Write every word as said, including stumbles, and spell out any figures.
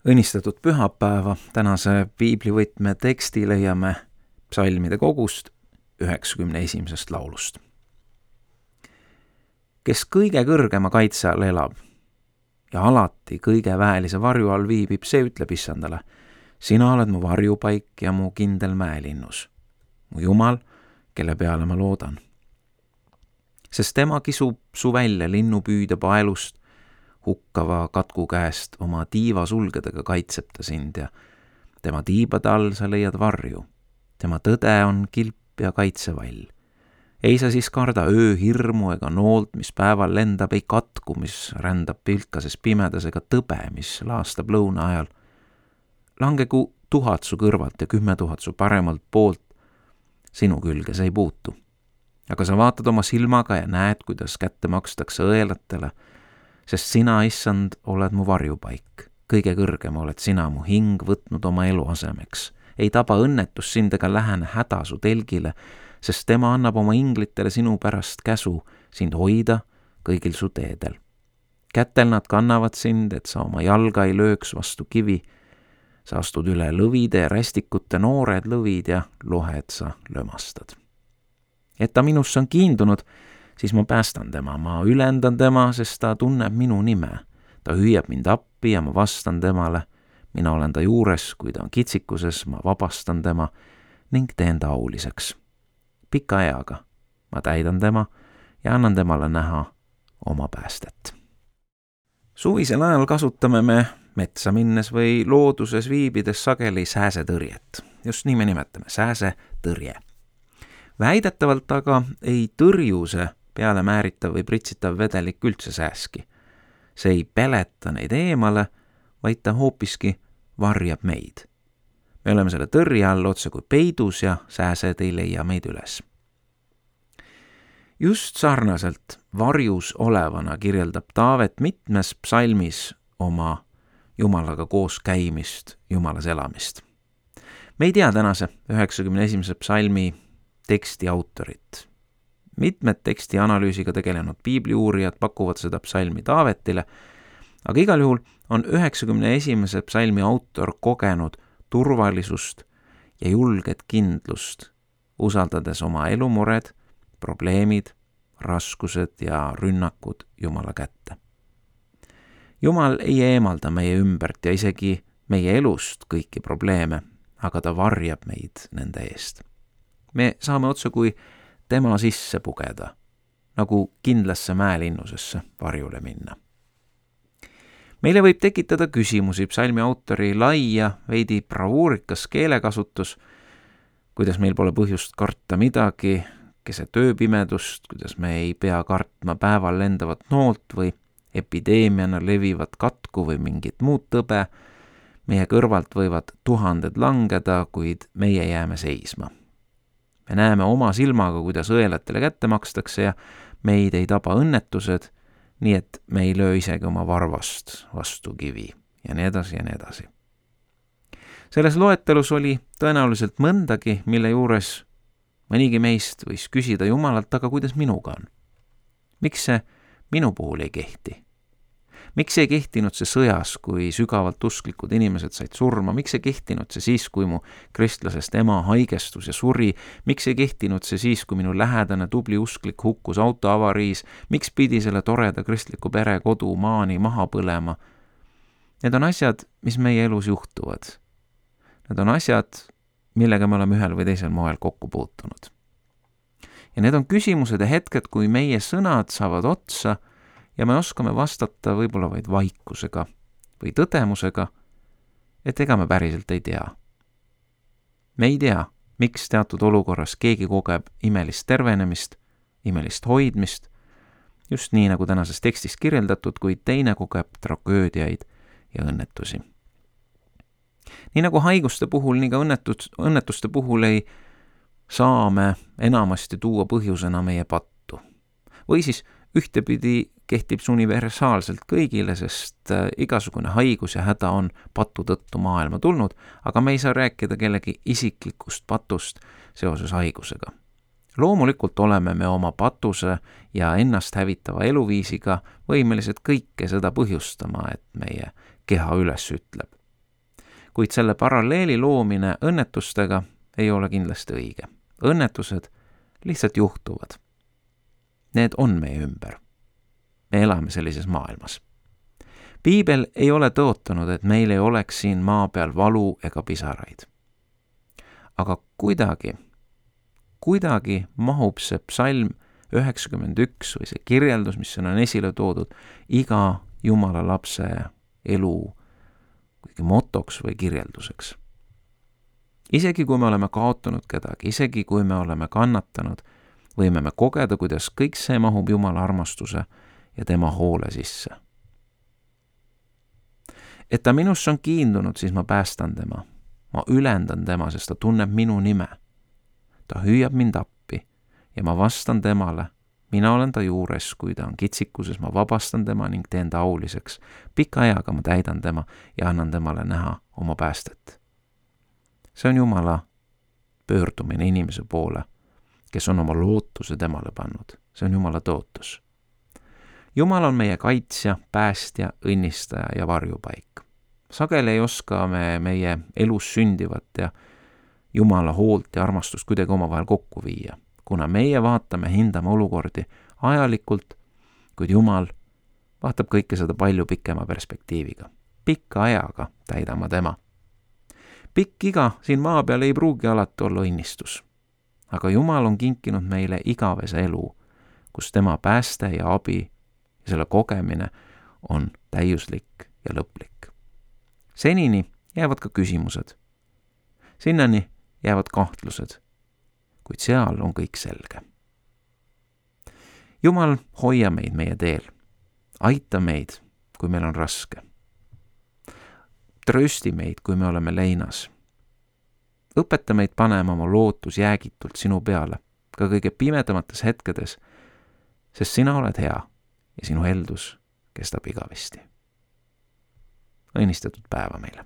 Õnnistatud pühapäeva, tänase piiblivõtme teksti leiame psalmide kogust üheksakümne esimesest laulust. Kes kõige kõrgema kaitse all elab ja alati kõige väelise varju all viibib, see ütleb issandale: sina oled mu varjupaik ja mu kindel mäelinnus, mu Jumal, kelle peale ma loodan. Sest tema kisub su välja linnupüüde paelust, hukkava katku käest oma tiiva sulgedega kaitseb ta sind ja tema tiibade all sa leiad varju. Tema tõde on kilp ja kaitsevall. Ei sa siis karda öö hirmu ega noolt, mis päeval lendab, ei katku, mis rändab pilkases pimedas, ega tõbe, mis laastab lõuna ajal. Langegu tuhat su kõrvalt ja kümme tuhat su paremalt poolt, sinu külge see ei puutu. Aga sa vaatad oma silmaga ja näed, kuidas kätte makstakse õelatele, sest sina, issand, oled mu varjupaik. Kõige kõrgem oled sina mu hing võtnud oma elu asemeks. Ei taba õnnetus sind ega lähene häda su telgile, sest tema annab oma inglitele sinu pärast käsu sind hoida kõigil su teedel. Kätel nad kannavad sind, et sa oma jalga ei lööks vastu kivi. Sa astud üle lõvide ja rästikute, noored lõvid ja lohed sa lömastad. Et ta minusse on kiindunud, siis ma päästan tema, ma ülendan tema, sest ta tunneb minu nime. Ta hüüab mind appi ja ma vastan temale. Mina olen ta juures, kui ta on kitsikuses, ma vabastan tema ning teen ta auliseks. Pika eaga ma täidan tema ja annan temale näha oma päästet. Suvisel ajal kasutame me metsa minnes või looduses viibides sageli sääsetõrjet. Just nii me nimetame, sääsetõrje. Väidetavalt aga ei tõrju see peale määritav või pritsitav vedelik üldse sääski. See ei peleta neid eemale, vaid ta hoopiski varjab meid. Me oleme selle tõrje all otse kui peidus ja sääsed ei leia meid üles. Just sarnaselt varjus olevana kirjeldab Taavet mitmes psalmis oma Jumalaga koos käimist, Jumalas elamist. Me ei tea tänase üheksakümne esimese psalmi teksti autorit. Mitmed teksti analüüsiga tegelenud piibliuurijad pakuvad seda psalmi Taavetile, aga igal juhul on üheksakümne esimese psalmi autor kogenud turvalisust ja julget kindlust, usaldades oma elumured, probleemid, raskused ja rünnakud Jumala kätte. Jumal ei eemalda meie ümbert ja isegi meie elust kõiki probleeme, aga ta varjab meid nende eest. Me saame otse kui tema sisse pugeda, nagu kindlasse mäelinnusesse varjule minna. Meile võib tekitada küsimusi psalmi autori lai ja veidi bravuurikas keelekasutus, kuidas meil pole põhjust karta midagi, keset ööpimedust, kuidas me ei pea kartma päeval lendavat noolt või epideemiana levivat katku või mingit muud tõbe. Meie kõrvalt võivad tuhanded langeda, kuid meie jääme seisma. Me näeme oma silmaga, kuidas õelatele kätte makstakse ja meid ei taba õnnetused, nii et me ei löö isegi oma varvast vastu kivi ja nii edasi ja nii edasi. Selles loetelus oli tõenäoliselt mõndagi, mille juures mõnigi meist võis küsida Jumalalt, aga kuidas minuga on? Miks see minu puhul ei kehti? Miks ei kehtinud see sõjas, kui sügavalt usklikud inimesed said surma? Miks ei kehtinud see siis, kui mu kristlasest ema haigestus ja suri? Miks ei kehtinud see siis, kui minu lähedane tubli usklik hukkus autoavariis? Miks pidi selle toreda kristliku pere kodu maani maha põlema? Need on asjad, mis meie elus juhtuvad. Need on asjad, millega me oleme ühel või teisel moel kokku puutunud. Ja need on küsimused ja hetked, kui meie sõnad saavad otsa ja me oskame vastata võib-olla vaid vaikusega või tõdemusega, et ega me päriselt ei tea. Me ei tea, miks teatud olukorras keegi kogeb imelist tervenemist, imelist hoidmist, just nii nagu tänases tekstis kirjeldatud, kuid teine kogeb tragöödiaid ja õnnetusi. Nii nagu haiguste puhul, nii ka õnnetus, õnnetuste puhul ei saa me enamasti tuua põhjusena meie pattu. Või siis ühtepidi kehtib see universaalselt kõigile, sest igasugune haigus ja häda on patu tõttu maailma tulnud, aga me ei saa rääkida kellegi isiklikust patust seoses haigusega. Loomulikult oleme me oma patuse ja ennast hävitava eluviisiga võimelised kõike seda põhjustama, et meie keha üles ütleb. kuid selle paralleeli loomine õnnetustega ei ole kindlasti õige. Õnnetused lihtsalt juhtuvad. Need on meie ümber. Me elame sellises maailmas. Piibel ei ole tõotanud, et meil ei oleks siin maa peal valu ega pisaraid. Aga kuidagi, kuidagi mahub see psalm üheksakümmend üks või see kirjeldus, mis on esile toodud, iga Jumala lapse elu motoks või kirjelduseks. Isegi kui me oleme kaotanud kedagi, isegi kui me oleme kannatanud, võime me kogeda, kuidas kõik see mahub Jumala armastuse ja tema hoole sisse. Et ta minusse on kiindunud, siis ma päästan tema. Ma ülendan tema, sest ta tunneb minu nime. Ta hüüab mind appi ja ma vastan temale. Mina olen ta juures, kui ta on kitsikuses, ma vabastan tema ning teen ta auliseks. Pika ajaga ma täidan tema ja annan temale näha oma päästet. See on Jumala pöördumine inimese poole, kes on oma lootuse temale pannud. See on Jumala tõotus. Jumal on meie kaitsja, päästja, õnnistaja ja varjupaik. Sageli ei oska me meie elus sündivat ja Jumala hoolt ja armastust kuidagi omavahel kokku viia, kuna meie vaatame, hindame olukordi ajalikult, kuid Jumal vaatab kõike seda palju pikema perspektiiviga. Pikka ajaga täidama tema. Pikk iga siin maa peal ei pruugi alati olla õnnistus, aga Jumal on kinkinud meile igavese elu, kus tema pääste ja abi ja selle kogemine on täiuslik ja lõplik. Senini jäävad ka küsimused. Sinnani jäävad kahtlused, kuid seal on kõik selge. Jumal, hoia meid meie teel. Aita meid, kui meil on raske. Tröösti meid, kui me oleme leinas. Õpeta meid panema oma lootus jäägitult sinu peale, ka kõige pimedamates hetkedes, sest sina oled hea ja sinu heldus kestab igavesti. Õnnistatud päeva meile!